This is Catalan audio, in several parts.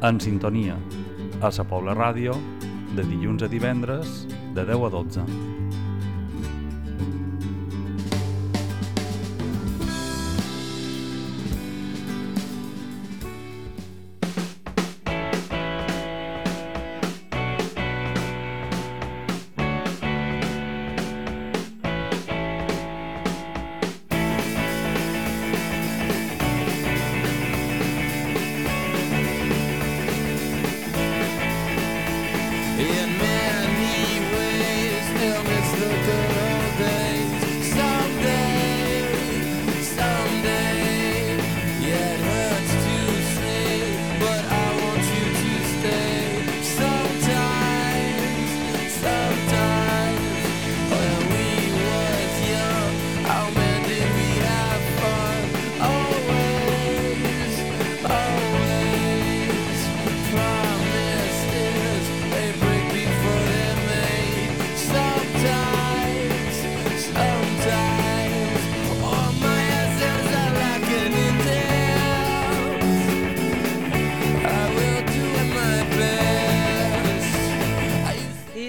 En sintonia, a Sa Pobla Ràdio, de dilluns a divendres, de 10 a 12.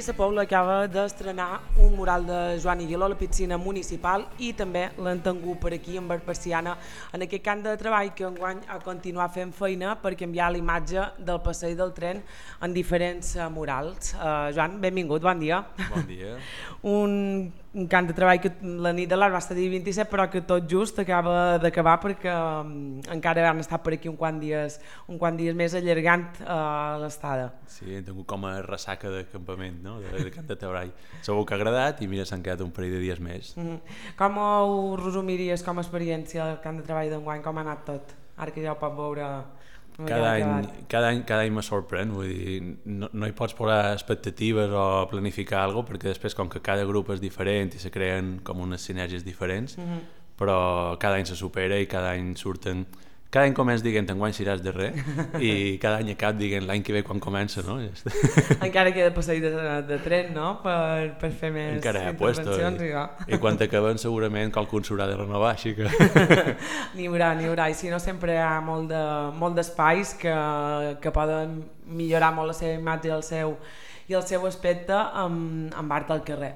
La Pobla acaba d'estrenar un mural de Joan Iguiló a la piscina municipal i també l'han tingut per aquí en Persiana en aquest camp de treball que enguany ha continuat fent feina per canviar la imatge del passeig del tren en diferents murals. Joan, benvingut, bon dia. Bon dia. Un camp de treball que la nit de l'art va estar dia 27 però que tot just acaba d'acabar perquè encara han estat per aquí un quant dies més allargant l'estada. Sí, hem tingut com a ressaca de campament, no? de camp de treball. Segur que ha agradat i mira, s'han quedat un parell de dies més. Com ho resumiries com a experiència del camp de treball d'enguany? Com ha anat tot? Ara que ja ho pot veure... Cada any me sorprèn, vull dir, no hi pots posar expectatives o planificar alguna cosa perquè després com que cada grup és diferent i se creen com unes sinergies diferents, però cada any se supera i cada any surten... Cada any comença dient enguany seràs de res i cada any acaba dient l'any que ve quan comença, no? Encara queda passeig de tren, no? Per fer més intervencions. I quan acabem segurament qualcun s'haurà de renovar, així que... N'hi haurà, i si no sempre hi ha molt d'espais que poden millorar molt la seva imatge i el seu aspecte amb art al carrer.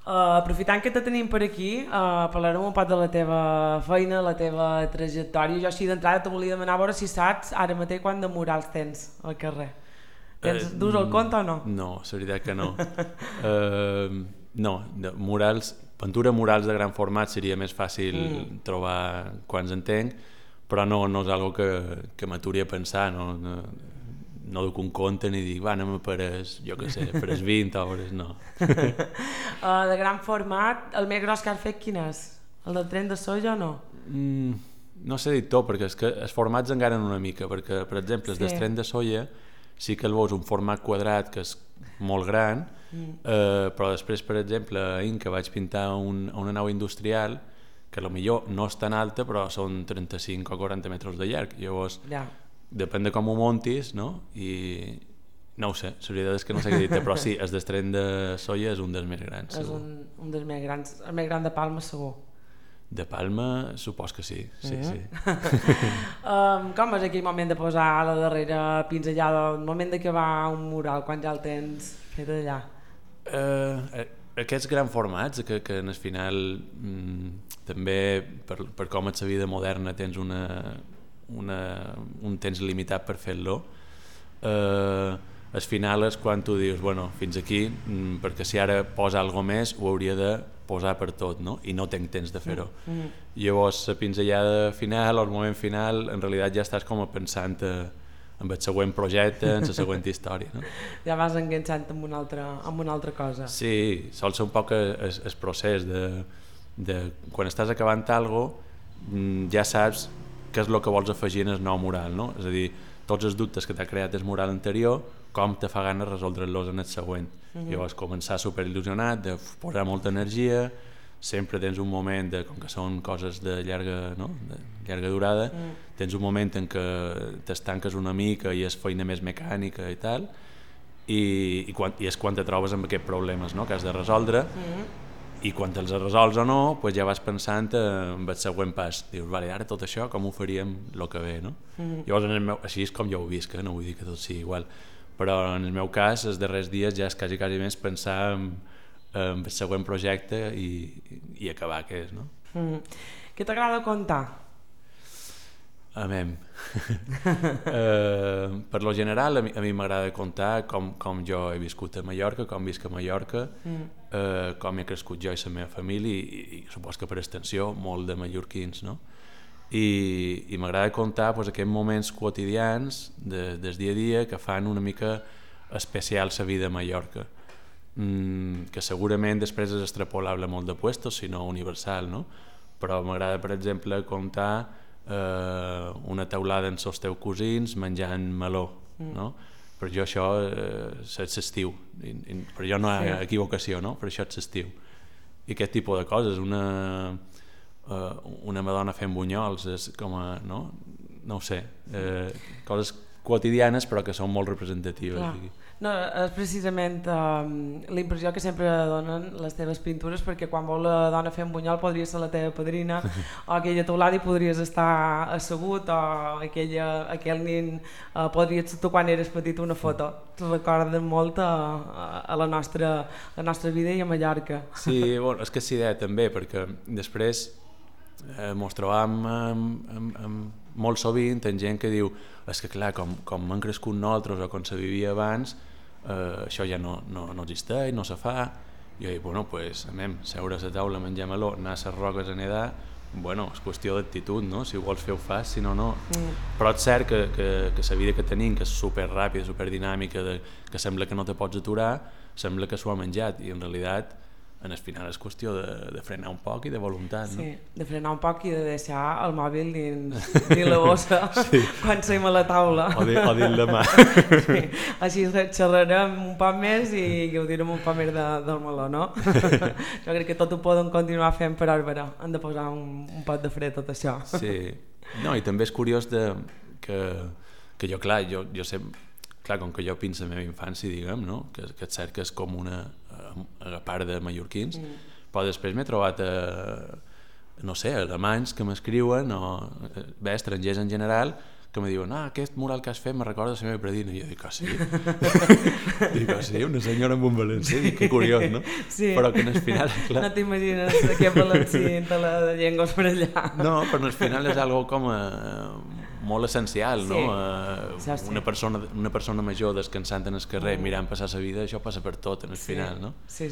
Aprofitant que te tenim per aquí, parlarem un poc de la teva feina, la teva trajectòria. Jo així d'entrada te volia demanar a veure si saps ara mateix quant de murals tens al carrer. Dus el compte o no? No, la veritat que no. No, pintura murals de gran format seria més fàcil trobar quants en tenc, però no és algo que m'aturi a pensar, no duc un compte ni dic, anem per jo què sé, per 20 hores, no. De gran format, el més gros que has fet quin és? El del tren de soja o no? No sé dir tot, perquè és que els formats engaren una mica, perquè, per exemple, el del tren de soja sí que el veus un format quadrat que és molt gran, però després, per exemple, ahir que vaig pintar una nau industrial, que potser no és tan alta, però són 35 o 40 metres de llarg, llavors... Depèn de com ho montis, no? I no ho sé, la veritat és que no sé què dir-te, però sí, el del tren de soja és un dels més grans. És un dels més grans, el més gran de Palma segur. De Palma, supos que sí, sí. Com és aquell moment de posar la darrera pinzellada, el moment d'acabar un mural, quan ja el tens fet allà? Aquests grans formats, que en el final també per com és la vida moderna tens un temps limitat per fer-lo, al final és quan tu dius, bueno, fins aquí, perquè si ara posa alguna més ho hauria de posar per tot, no? I no tenc temps de fer-ho. Llavors la pinzellada final o el moment final en realitat ja estàs com pensant en el següent projecte, en la següent història, no? Ja vas enganxant amb una altra cosa. Sí, sol ser un poc el procés de quan estàs acabant alguna cosa ja saps què és el que vols afegir en el nou mural, no? És a dir, tots els dubtes que t'ha creat el mural anterior, com te fa gana resoldre-los en el següent. Llavors començar superil·lusionat, de posar molta energia, sempre tens un moment, com que són coses de llarga durada, tens un moment en què t'estanques una mica i és feina més mecànica i tal, i és quan te trobes amb aquests problemes, no? Que has de resoldre, I quan te'ls resols o no, pues ja vas pensant en el següent pas. Dius, vale, ara tot això com ho faríem el que ve, no? Llavors, així és com jo ho visc, no vull dir que tot sigui igual. Però en el meu cas, els darrers dies ja és quasi més pensar en el següent projecte i acabar què és, no? Què t'agrada contar? Per lo general a mi m'agrada contar com jo he viscut a Mallorca, com visc a Mallorca, com he crescut jo i la meva família i supos que per extensió molt de mallorquins, no? I m'agrada contar pues, aquests moments quotidians del dia a dia que fan una mica especial la vida a Mallorca, que segurament després és extrapolable a molt de puestos, sinó universal, no? Però m'agrada, per exemple, contar una taulada amb els teus cosins menjant meló, no? Per jo això és l'estiu, per jo no hi ha equivocació, no? Per això és l'estiu. I aquest tipus de coses, una madona fent bunyols, és com a, no ho sé, coses quotidianes però que són molt representatives. No, és precisament la impressió que sempre donen les teves pintures, perquè quan vol la dona fent bunyol podria ser la teva padrina o aquella teulada i podries estar assegut, o aquell nin podria ser tu quan eres petit una foto. Te recorden molt a la nostra vida i a Mallorca. Sí, bueno, és que és idea també, perquè després mos trobam molt sovint en gent que diu és que clar, com m'han crescut nosaltres o com se vivia abans, això ja no existeix, no se fa. Jo dic, bueno, pues anem, seure a la taula, menjar meló, anar a les roques a nedar, bueno, és qüestió d'actitud, no? Si ho vols fer ho fas, si no, no. Però és cert que la vida que tenim, que és superràpida, superdinàmica, que sembla que no te pots aturar, sembla que s'ho ha menjat, i en realitat en el final és qüestió de frenar un poc i de voluntat, no? Sí, de frenar un poc i de deixar el mòbil dins la bossa quan som a la taula. O dins la mà. Sí, així xerrarem un poc més i gaudirem un poc més del meló, no? Jo crec que tot ho poden continuar fent, però ara hem de posar un pot de fre tot això. Sí, no, i també és curiós que jo, clar, jo sempre, clar, com que jo penso en la meva infància, diguem, no? Que és cert que és com una part de mallorquins, però després m'he trobat no sé, alemanys que m'escriuen o bé, estrangers en general que me diuen, aquest mural que has fet me recorda la meva predina, i jo dic, sí? Dic, sí, una senyora amb un valencià, dic, que curiós, no? Sí. Però que en el final, clar... No t'imagines aquest valencià de la llengua per allà. No, però en el final és algo com molt essencial, sí. No? Sí. Una persona major descansant en el carrer, mirant passar la vida, això passa per tot en el final, no? Sí.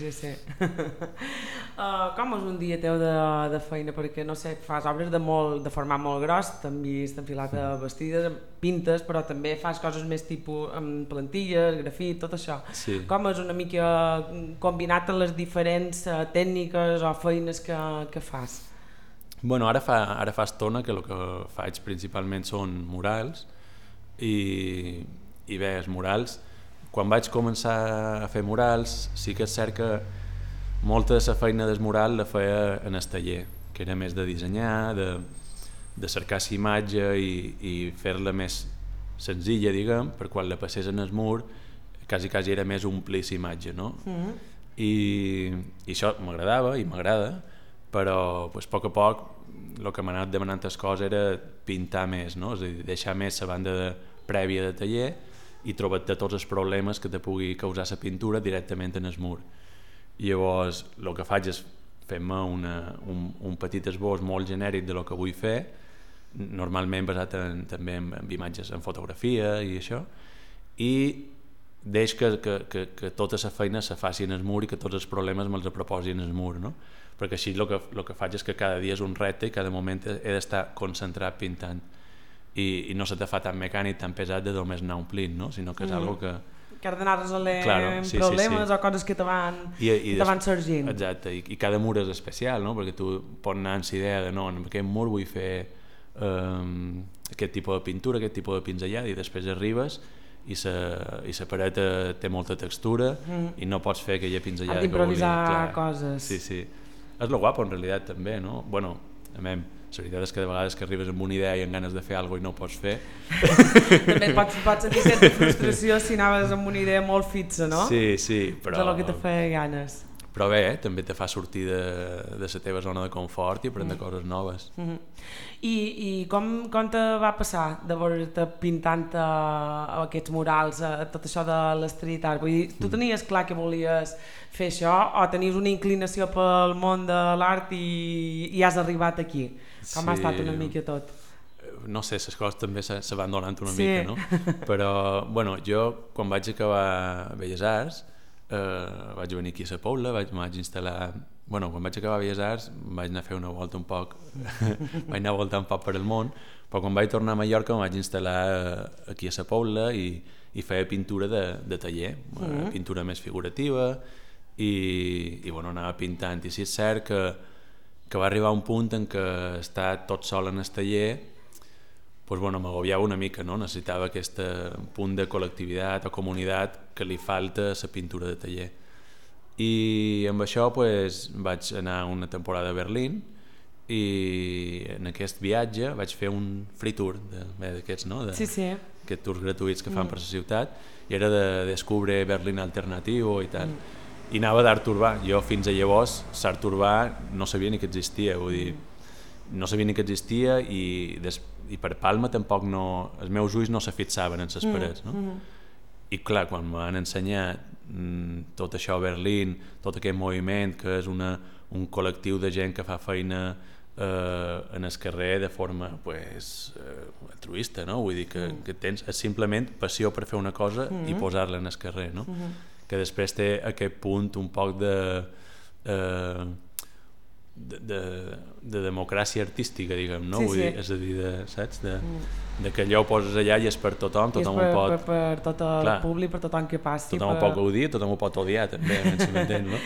Com és un dia teu de feina? Perquè, no sé, fas obres de format molt gros, t'han vist enfilat a vestides, pintes, però també fas coses més tipus amb plantilles, grafit, tot això. Sí. Com és una mica combinat amb les diferents tècniques o feines que fas? Bueno, ara fa estona que el que faig principalment són murals i bé, els murals, quan vaig començar a fer murals sí que és cert que molta de la feina del mural la feia en el taller, que era més de dissenyar, de cercar la imatge i fer-la més senzilla, diguem, per quan la passés en el mur quasi era més omplir la imatge, no? I això m'agradava i m'agrada, però pues, a poc a poc el que m'ha anat demanant el cos era pintar més, no? És a dir, deixar més la banda prèvia de taller i trobar-te tots els problemes que te pugui causar la pintura directament en el mur. I llavors el que faig és fer-me un petit esbós molt genèric de lo que vull fer, normalment basat també en imatges, en fotografia i això, i deix que tota la feina se faci en el mur i que tots els problemes me'ls proposi en el mur, no? Perquè així el que faig és que cada dia és un repte i cada moment he d'estar concentrat pintant i no se te fa tan mecànic, tan pesat de només anar omplint, no? Sinó que és algo que has d'anar resolent problemes o coses que te van sorgint. Exacte, i cada mur és especial, no? Perquè tu pots anar amb la idea de no, en aquest mur vull fer aquest tipus de pintura, aquest tipus de pinzellada, i després arribes i la paret té molta textura i no pots fer aquella pinzellada que vulguis. Has d'improvisar coses. Sí. És lo guapo en realitat també, no? Bueno, la veritat és que de vegades que arribes amb una idea i amb ganes de fer alguna cosa i no ho pots fer. També pots sentir certa frustració si anaves amb una idea molt fixa, no? Sí, però... És el que te feia ganes. Però bé, també te fa sortir de la teva zona de confort i aprendre coses noves. I com te va passar de veure-te pintant aquests murals, tot això de l'street art? Vull dir, tu tenies clar que volies fer això o tenies una inclinació pel món de l'art i has arribat aquí? Com ha estat una mica tot? No sé, les coses també se van donant una mica, no? Però, bueno, jo quan vaig acabar Belles Arts vaig venir aquí a la Pobla, vaig instal·lar... Bueno, quan vaig acabar Belles Arts vaig anar a fer una volta un poc, vaig anar a voltar un poc per el món, però quan vaig tornar a Mallorca em vaig instal·lar aquí a la Pobla i feia pintura de taller, pintura més figurativa i bueno, anava pintant. I sí és cert que va arribar un punt en què estar tot sol en el taller pues bueno, m'agobiava una mica, no? Necessitava aquest punt de col·lectivitat o comunitat que li falta a la pintura de taller. I amb això pues, vaig anar una temporada a Berlín i en aquest viatge vaig fer un free tour d'aquests, no? Aquests tours gratuïts que fan per la ciutat, i era de descubre Berlín alternatiu i tal. I anava d'art urbà. Jo fins a llavors l'art urbà no sabia ni que existia, vull dir, no sabia ni que existia i per Palma tampoc no, els meus ulls no se fixaven en les parets, no? I clar, quan me van ensenyar tot això a Berlín, tot aquest moviment que és un col·lectiu de gent que fa feina en el carrer de forma pues, altruista, no? Vull dir que tens simplement passió per fer una cosa i posar-la en el carrer, no? Que després té aquest punt un poc de democràcia artística, diguem, no? Vull dir, és a dir, saps? De que allò ho poses allà i és per tothom, tothom ho pot... Per tot el públic, per tothom que passi. Tothom ho pot gaudir, tothom ho pot odiar, també, si m'entens, no?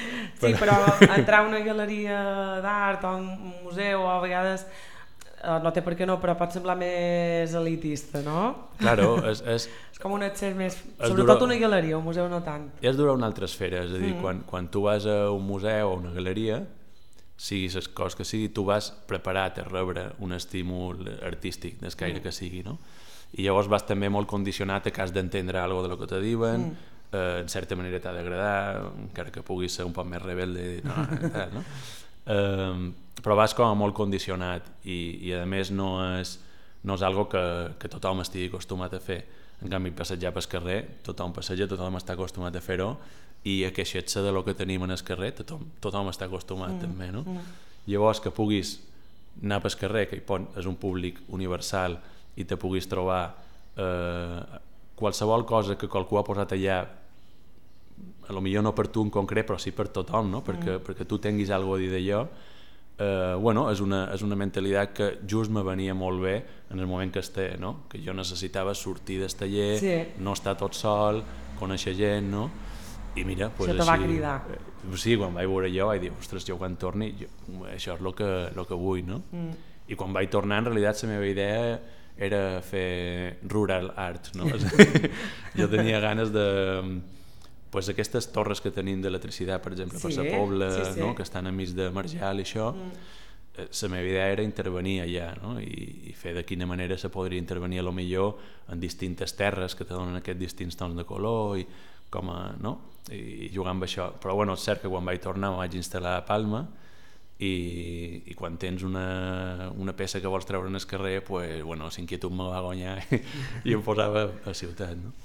Sí, però entrar a una galeria d'art o un museu a vegades no té per què no, però pot semblar més elitista, no? Claro, és com un accés més... Sobretot una galeria, un museu no tant. És dur a una altra esfera, és a dir, quan tu vas a un museu o una galeria, sigui les coses que sigui, tu vas preparat a rebre un estímul artístic, d'escaire que sigui, no? I llavors vas també molt condicionat a que has d'entendre alguna cosa de lo que te diuen, en certa manera t'ha d'agradar, encara que puguis ser un poc més rebelde, no? Però vas com a molt condicionat i a més no és algo que tothom estigui acostumat a fer. En canvi, passejar pel carrer, tothom passeja, tothom està acostumat a fer-ho, i a queixar-se de lo que tenim en el carrer tothom està acostumat també, no? Llavors que puguis anar pel carrer, que és un públic universal, i te puguis trobar qualsevol cosa que qualcú ha posat allà, a lo millor no per tu en concret, però sí per tothom, no? Perquè tu tinguis alguna cosa a dir d'allò, bueno, és una mentalitat que just me venia molt bé en el moment que esté, no? Que jo necessitava sortir del taller, no estar tot sol, conèixer gent, no? I mira, pues això te va cridar. Sí, quan vaig veure jo vaig dir, ostres, jo quan torni això és el que vull, no? I quan vaig tornar, en realitat la meva idea era fer rural art, no? Jo tenia ganes de pues aquestes torres que tenim d'electricitat, per exemple, per la Pobla, no? Que estan enmig de Marjal i això, la meva idea era intervenir allà, no? I fer de quina manera se podria intervenir a lo millor en distintes terres que te donen aquests distints tons de color i com a, no? I jugar amb això. Però bueno, és cert que quan vaig tornar em vaig instal·lar a Palma i quan tens una peça que vols treure en el carrer, pues, bueno, l'inquietud me va guanyar i em posava a ciutat, no?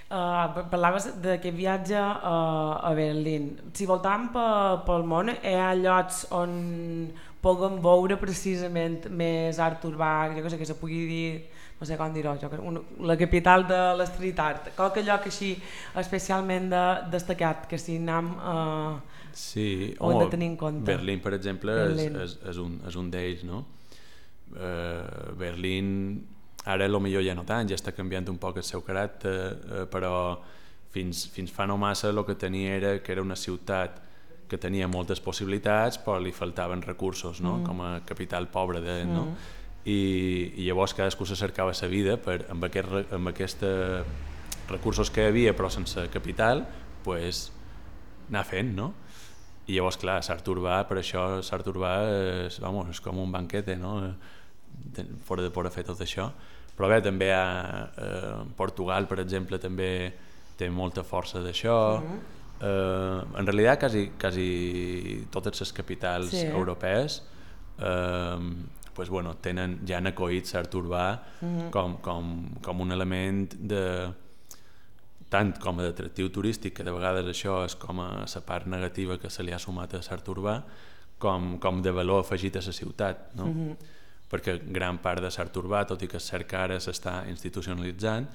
Parlaves d'aquest viatge a Berlín. Si voltàvem pel món, hi ha llocs on puguem veure precisament més art urbà, jo que se pugui dir, no sé com dir-ho, la capital de l'street art, qualque lloc així especialment destacat, que si anem ho hem de tenir en compte. Berlín, per exemple, és un d'ells, no? Berlín ara potser ja no tant, ja està canviant un poc el seu caràcter, però fins fa no massa el que tenia era que era una ciutat que tenia moltes possibilitats però li faltaven recursos, no? Com a capital pobra, no? I llavors cadascú se cercava la vida amb aquests recursos que hi havia però sense capital, pues, anar fent, no? I llavors, clar, l'art urbà, per això l'art urbà és com un banquete, no? De poder fer tot això. Però bé, també Portugal, per exemple, també té molta força d'això, En realitat quasi totes les capitals europees pues, bueno, ja han acollit l'art urbà com un element tant com a d'atractiu turístic, que de vegades això és com a la part negativa que se li ha sumat a l'art urbà, com de valor afegit a la ciutat, no? Perquè gran part de l'art urbà, tot i que és cert que ara s'està institucionalitzant,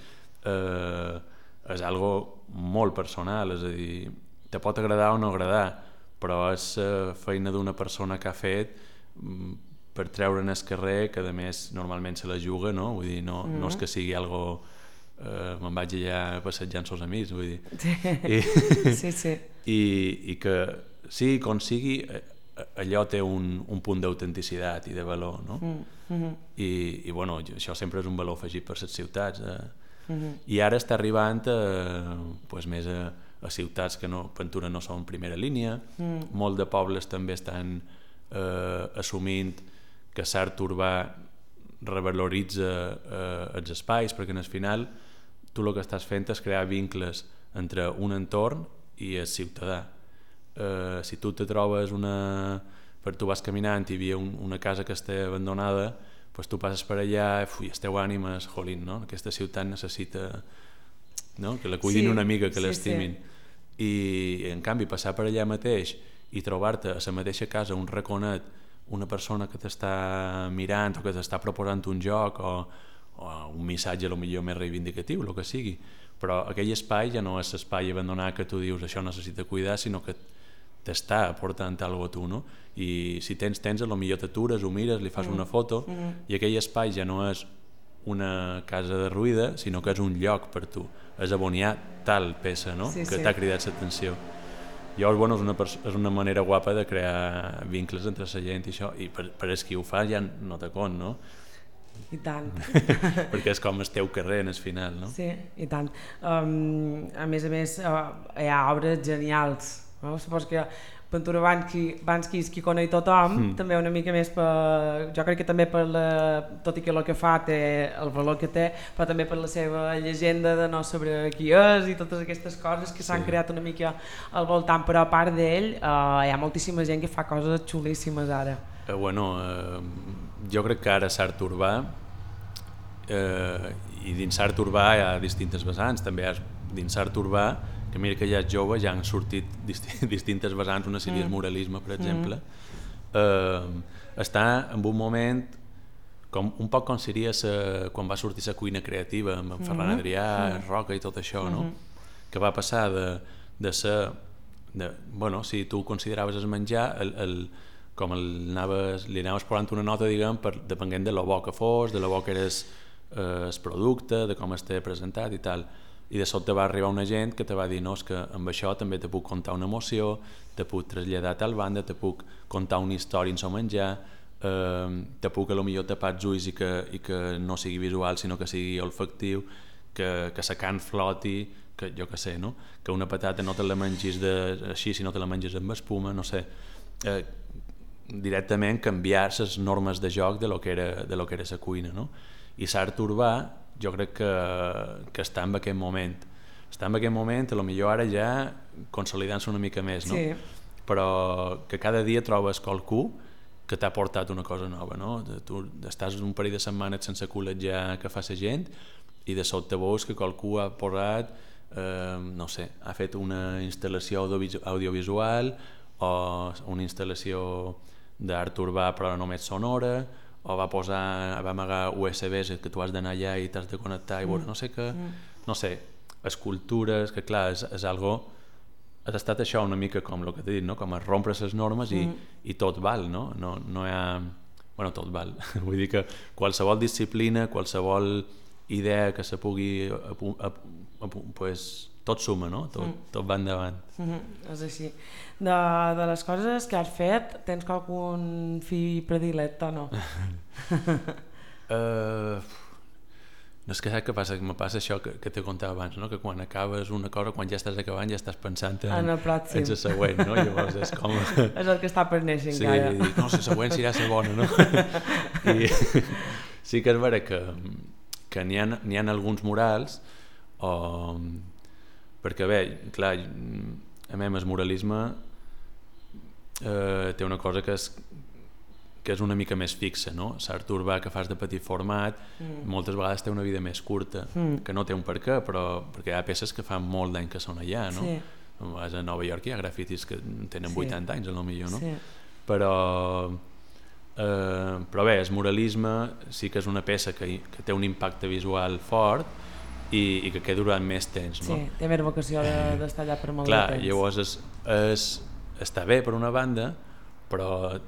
és algo molt personal, és a dir, te pot agradar o no agradar, però és feina d'una persona que ha fet per treure'n al carrer, que a més normalment se la juga, no? Vull dir, no és que sigui algo me'n vaig allà passejant els amics, vull dir. Sí. I que sigui com sigui, allò té un punt d'autenticitat i de valor, no? I bueno, això sempre és un valor afegit per les ciutats. I ara està arribant pues, més a ciutats que Ventura no són primera línia, molt de pobles també estan assumint que l'art urbà revaloritza els espais, perquè al final tu el que estàs fent és crear vincles entre un entorn i el ciutadà. Si tu te trobes tu vas caminant i hi havia una casa que està abandonada, pues tu passes per allà i el teu ànima és, jolín, no? Aquesta ciutat necessita, no? Que la cuidin una mica, que l'estimin. I en canvi passar per allà mateix i trobar-te a la mateixa casa un raconet, una persona que t'està mirant o que t'està proposant un joc o un missatge potser més reivindicatiu, el que sigui, però aquell espai ja no és l'espai abandonat que tu dius això necessita cuidar, sinó que t'està aportant alguna cosa a tu, no? I si tens, potser t'atures, ho mires, li fas una foto i aquell espai ja no és una casa derruïda, sinó que és un lloc per tu, és aboniar tal peça, no? Que t'ha cridat l'atenció. Llavors, bueno, és una manera guapa de crear vincles entre la gent i això, i per als qui ho fa ja no te cont, no? I tant. Perquè és com el teu carrer en el final, no? Sí, i tant. A més, hi ha obres genials, no? Supos que Ventura Banski és qui coneix tothom, també una mica més jo crec que també tot i que el que fa té el valor que té, però també per la seva llegenda de no saber qui és i totes aquestes coses que s'han creat una mica al voltant, però a part d'ell hi ha moltíssima gent que fa coses xulíssimes ara. Jo crec que ara l'art urbà i dins l'art urbà hi ha distintes vessants, també hi ha dins l'art urbà que mira que ja és jove, ja han sortit distintes vessants, una seria el muralisme, per exemple, està en un moment un poc com seria quan va sortir la cuina creativa amb en Ferran Adrià, Roca i tot això, no? Que va passar de ser, bueno, si tu consideraves el menjar, com li anaves posant una nota, diguem, depenent de lo bo que fos, de lo bo que era el producte, de com estava presentat i tal. I de sobte va arribar una gent que te va dir no, és que amb això també te puc contar una emoció, te puc traslladar a tal banda, te puc contar una història en so menjar, te puc potser tapar els ulls i que no sigui visual sinó que sigui olfactiu, que la carn floti, que jo què sé, no? Que una patata no te la mengis així sinó te la menges amb espuma, no sé, directament canviar les normes de joc de lo que era la cuina, no? I l'art urbà jo crec que està en aquest moment, potser ara ja consolidant-se una mica més, no? Però que cada dia trobes qualcú que t'ha portat una cosa nova, no? Tu estàs un parell de setmanes sense col·legiar que fa la gent i de sobte veus que qualcú ha posat, no sé, ha fet una instal·lació audiovisual o una instal·lació d'art urbà però només sonora, o va amagar USBs que tu has d'anar allà i t'has de connectar i veure no sé què, no sé, escultures, que clar, és algo, has estat això una mica com el que t'he dit, no? Com a rompre les normes i tot val, no? No hi ha... Bueno, tot val, vull dir que qualsevol disciplina, qualsevol idea que se pugui pues, tot suma, no? Tot va endavant. És així. De les coses que has fet, tens algun fill predilecte o no? No és que saps què passa? Que me passa això que t'he contat abans, no? Que quan acabes una cosa, quan ja estàs acabant ja estàs pensant en el pròxim, en la següent, no? Llavors és com... És el que està per néixer encara. Sí, dic, no, la següent serà la bona, no? I sí que és vera que n'hi ha alguns murals perquè bé, clar, a mi el muralisme té una cosa que és una mica més fixa, no? L'art urbà que fas de petit format moltes vegades té una vida més curta, que no té un per què, però perquè hi ha peces que fan molt d'any que són allà, no? Sí. A Nova York hi ha grafitis que tenen 80 anys, potser, no? Sí. Però bé, el muralisme sí que és una peça que té un impacte visual fort i que queda durant més temps, no? Sí, té més vocació d'estar allà per molt de temps. Llavors està bé per una banda, però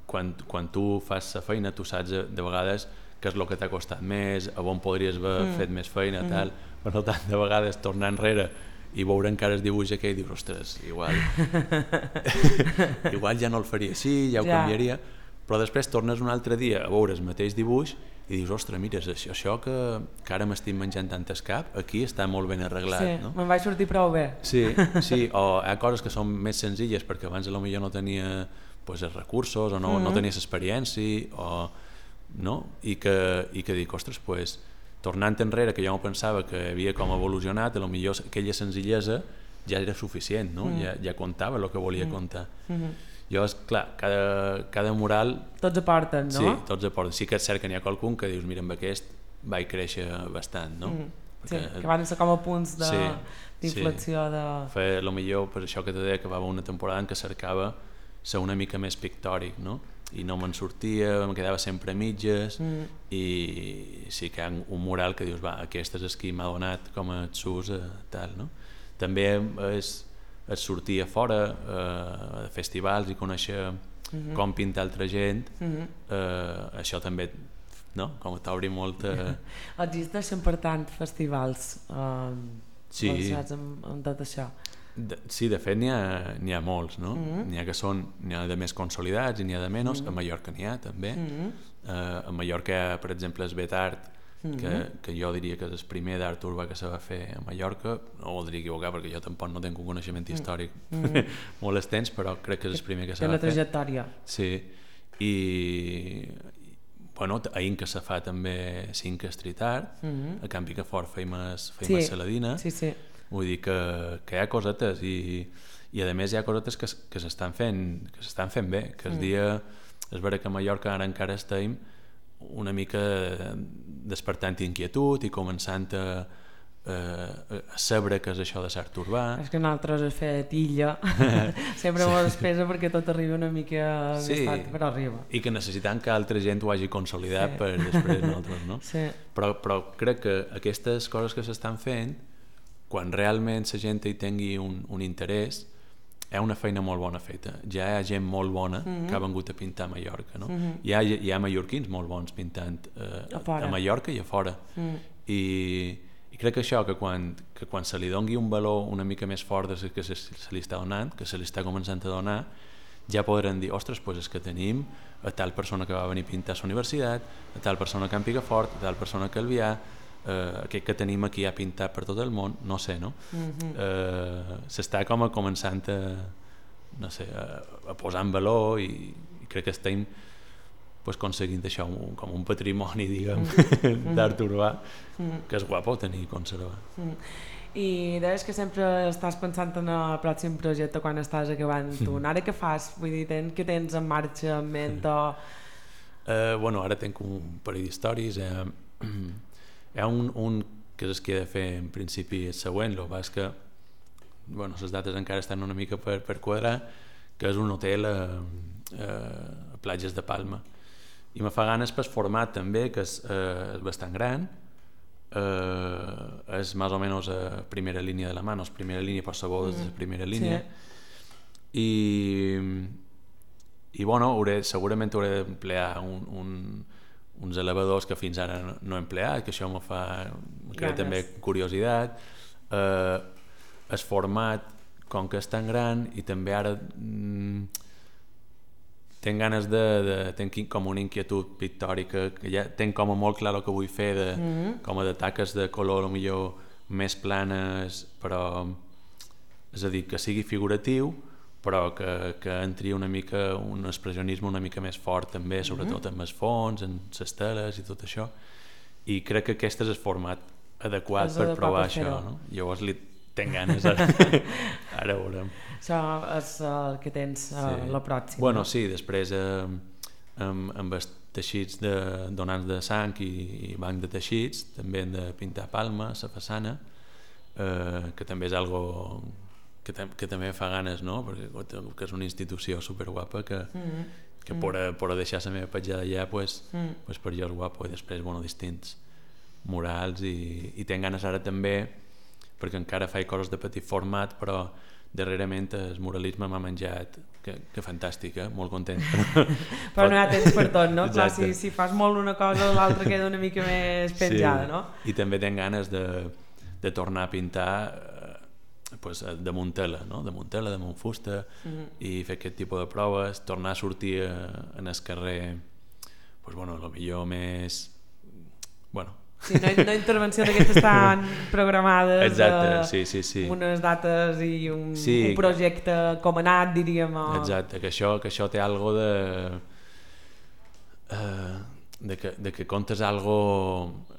quan tu fas la feina tu saps de vegades què és el que t'ha costat més, a on podries haver fet més feina, tal. Per tant, de vegades tornar enrere i veure encara el dibuix aquell i dius, ostres, igual ja no el faria així, ja ho canviaria, però després tornes un altre dia a veure el mateix dibuix i dius, ostres, mira, això que ara m'estic menjant tant el cap, aquí està molt ben arreglat. Sí, no? me'n vaig sortir prou bé. Sí, o hi ha coses que són més senzilles perquè abans potser no tenia els recursos o no tenies experiència, no? I que dic, ostres, tornant enrere, que jo no pensava que havia com evolucionat, potser aquella senzillesa ja era suficient, no? Ja contava el que volia contar. Jo, clar, cada mural... Tots aporten, no? Sí, tots aporten. Sí que és cert que n'hi ha qualcun que dius, mira, amb aquest vaig créixer bastant, no? Sí, que van ser com a punts d'inflexió de... Potser per això que te deia que va haver una temporada en què cercava ser una mica més pictòric, no? I no me'n sortia, em quedava sempre a mitges i sí que hi ha un mural que dius, aquest és el que m'ha donat com a xus, tal, no? També és sortir a fora a festivals i conèixer com pintar altra gent, això també, no? Com t'obri molt... Existeixen, per tant, festivals relacionats amb tot això? Sí, de fet n'hi ha molts, no? N'hi ha de més consolidats i n'hi ha de menys. A Mallorca n'hi ha també. A Mallorca hi ha, per exemple, el Betart, que jo diria que és el primer d'art urbà que se va fer a Mallorca. No voldria equivocar perquè jo tampoc no tinc un coneixement històric molt extens, però crec que és el primer que se va fer. Té una trajectòria. Sí, i a Inca se fa també Cinca Street Art, a Can Picafort feim Saladina. Sí. Vull dir que hi ha cosetes i a més hi ha cosetes que s'estan fent bé, que el dia és vera que a Mallorca ara encara estem una mica despertant inquietud i començant a saber què és això de l'art urbà. És que nosaltres has fet illa sempre molt despesa perquè tot arriba una mica més tard, però arriba. I que necessitant que altra gent ho hagi consolidat per després nosaltres, no? Sí. Però crec que aquestes coses que s'estan fent, quan realment la gent hi tingui un interès, hi ha una feina molt bona feta. Ja hi ha gent molt bona que ha vengut a pintar a Mallorca, no? Hi ha mallorquins molt bons pintant a Mallorca i a fora. I crec que això, que quan se li doni un valor una mica més fort del que se li està donant, que se li està començant a donar, ja podran dir, ostres, és que tenim a tal persona que va venir a pintar a la universitat, a tal persona que en Picafort, a tal persona que Albià, aquest que tenim aquí ha pintat per tot el món, no sé, no? S'està com a començant a posar en valor i crec que estem aconseguint això com un patrimoni, diguem, d'art urbà, que és guapo tenir i conservar. I deies que sempre estàs pensant en el pròxim projecte quan estàs acabant tu. Ara què fas? Vull dir, què tens en marxa, en ment o...? Ara tinc un parell d'històries. Hi ha un que és el que he de fer en principi el següent, el que passa és que les dates encara estan una mica per quadrar, que és un hotel a platges de Palma. I me fa ganes pel format també, que és bastant gran, és més o menys a primera línia de la mà, no és primera línia per sabó des de la primera línia. I segurament hauré d'emplear uns elevadors que fins ara no he empleat, que això me crea també curiositat. El format, com que és tan gran, i també ara tinc ganes tenc com una inquietud pictòrica, que ja tinc com a molt clar el que vull fer, com a de taques de color millor més planes, però és a dir, que sigui figuratiu, però que entri una mica un expressionisme una mica més fort també, sobretot amb els fons, amb les teles i tot això, i crec que aquest és el format adequat per provar això, no? Llavors tenc ganes, ara veurem. Això és el que tens la pròxima. Bueno, sí, després amb els teixits de donants de sang i banc de teixits, també hem de pintar palma, la façana, que també és algo que també fa ganes, no? Perquè que és una institució superguapa que per deixar la meva petjada allà pues per jo és guapo, i després distints murals i tenc ganes ara també, perquè encara faig coses de petit format, però darrerament el muralisme m'ha menjat, que fantàstic, molt content. Però no hi ha temps per tot, no? Clar, si fas molt una cosa, l'altra queda una mica més penjada, no? I també tenc ganes de tornar a pintar damunt tela, no? Damunt tela, damunt fusta, i fer aquest tipus de proves, tornar a sortir en el carrer, millor més... Sí, no intervenció d'aquestes tan programades. Exacte, sí. Unes dates i un projecte com anat, diríem. Exacte, que això té algo de que comptes algo...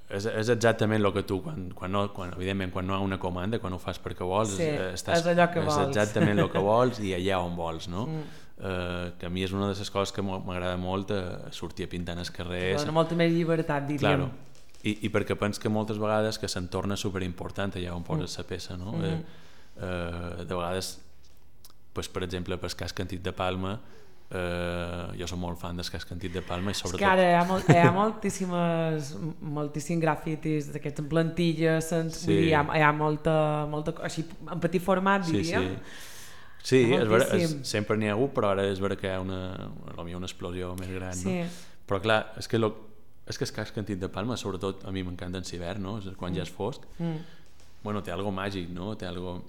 És exactament el que tu, evidentment, quan no hi ha una comanda, quan ho fas perquè vols, és allò que vols. És exactament el que vols i allà on vols, no? Que a mi és una de les coses que m'agrada molt, sortir a pintar en el carrer. Dona molta més llibertat, diríem. Claro. I perquè penso que moltes vegades que se'n torna superimportant allà on poses la peça, no? De vegades, per exemple, per Casc Antic de Palma, jo soc molt fan del Casc Antic de Palma i sobretot... És que ara hi ha moltíssims grafitis d'aquests en plantilles, hi ha molta així, en petit format, diríem. Sí, és veritat, sempre n'hi ha hagut, però ara és veritat que hi ha una explosió més gran, no? Però clar, és que el Casc Antic de Palma, sobretot a mi m'encanta en l'hivern, no? Quan ja és fosc, té algo màgic, no? Té algo...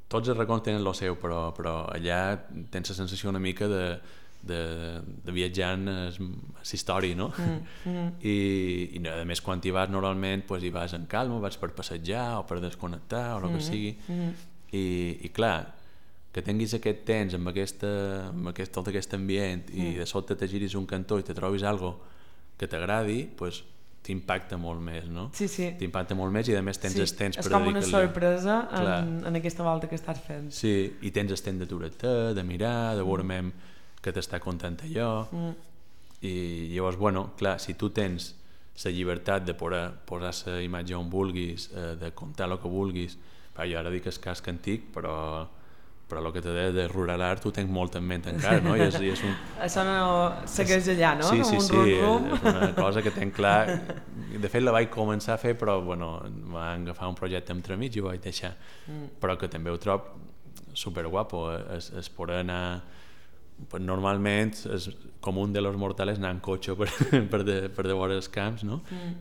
Tots els racons tenen el seu, però allà tens la sensació una mica de viatjar en la història, no? I a més, quan hi vas normalment, hi vas en calma, vas per passejar o per desconnectar o el que sigui, i clar, que tinguis aquest temps amb tot aquest ambient i de sobte te giris un cantó i te trobis algo que t'agradi, t'impacta molt més, no? Sí. T'impacta molt més i a més tens el temps per dedicar-li. És com una sorpresa en aquesta volta que estàs fent. Sí, i tens el temps d'aturar-te, de mirar, de veure que t'està content allò. I llavors, clar, si tu tens la llibertat de poder posar la imatge on vulguis, de contar el que vulguis, jo ara dic el Casc Antic, però el que t'he de dir de rural art ho tinc molt en ment encara, no? Això no segueix allà, no? Sí, és una cosa que tenc clar. De fet la vaig començar a fer, però em va agafar un projecte entremig i ho vaig deixar. Però que també ho trobo superguapo, es poder anar... Normalment és comú de los mortales anar en cotxe per devora els camps, no?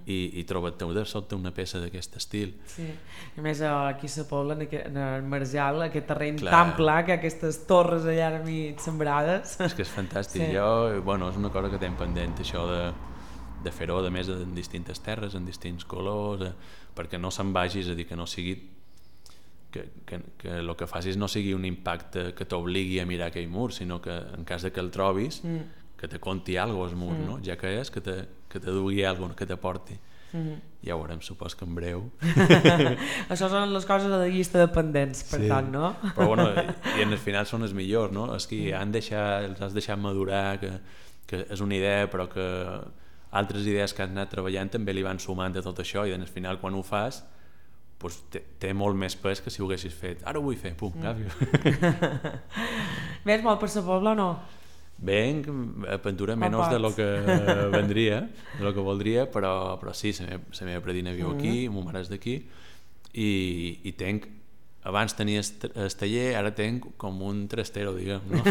I trobar-te de sobte una peça d'aquest estil. Sí, i més aquí a la Pobla, en el Marjal, aquest terreny tan pla, que aquestes torres allà a mig sembrades. És que és fantàstic. És una cosa que tinc pendent, això de fer-ho, a més, en distintes terres, en distints colors, perquè no se'n vagi, és a dir, que no sigui que el que facis no sigui un impacte que t'obligui a mirar aquell mur, sinó que en cas de que el trobis, que te conti alguna cosa al mur, no? Ja que és, que te dugui alguna cosa, que t'aporti. Ja ho veurem, supos que en breu. Això són les coses de la llista de pendents, per tant, no? Però i en el final són els millors, no? Els que els has deixat madurar, que és una idea, però que altres idees que has anat treballant també li van sumant de tot això, i en el final, quan ho fas, té molt més pes que si ho haguessis fet. Ara ho vull fer, pum, canvio. Vens molt per la Pobla o no? Venc a pintura menys de lo que vendria, de lo que voldria, però sí, la meva predina viu aquí, mon mare és d'aquí, i tenc, abans tenia el taller, ara tenc com un trastero, diguem, no?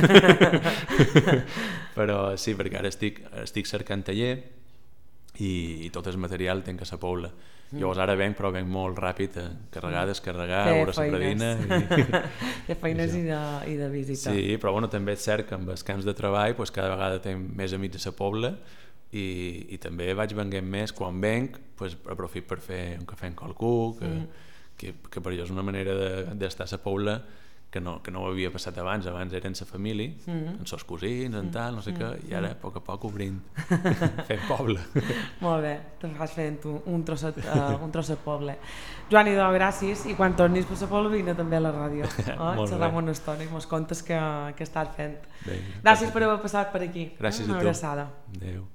Però sí, perquè ara estic cercant taller i tot el material tenc a la Pobla. Llavors ara venc, però venc molt ràpid, carregar, descarregar, veure la predina... De feines i de visita. Sí, però també és cert que amb els camps de treball cada vegada tinc més amics a la Pobla i també vaig venguent més. Quan venc, aprofito per fer un cafè amb qualcú, que per jo és una manera d'estar a la Pobla que no ho havia passat abans eren sa família, amb sos cosins, en tal, no sé què, i ara a poc obrint, fent poble. Molt bé, te fas fent un trosset poble. Joan Idò, gràcies, i quan tornis per la poble vine també a la ràdio. Xerram una estona i mos contes què estàs fent. Gràcies per haver passat per aquí. Gràcies a tu. Una abraçada. Adéu.